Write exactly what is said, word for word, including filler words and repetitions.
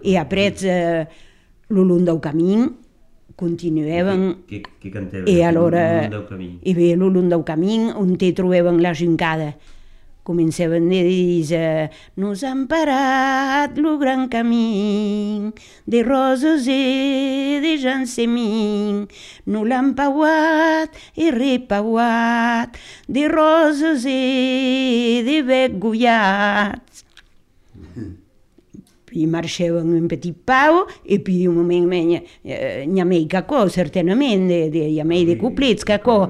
E après, eh, lo long del camí, continuaven... Què, què cantaven? I allora, Lo long del camí. i bé, lo long del camí, on te trobaven la gincada. Començaven a dir, nos han parat lo gran camí de roses i de jansemín, no l'han pauat i repauat de roses i de bec goiats. I marxaven un petit pau e puis un moment n'hi ha mei cacò, certament, n'hi ha mei de couplets cacò.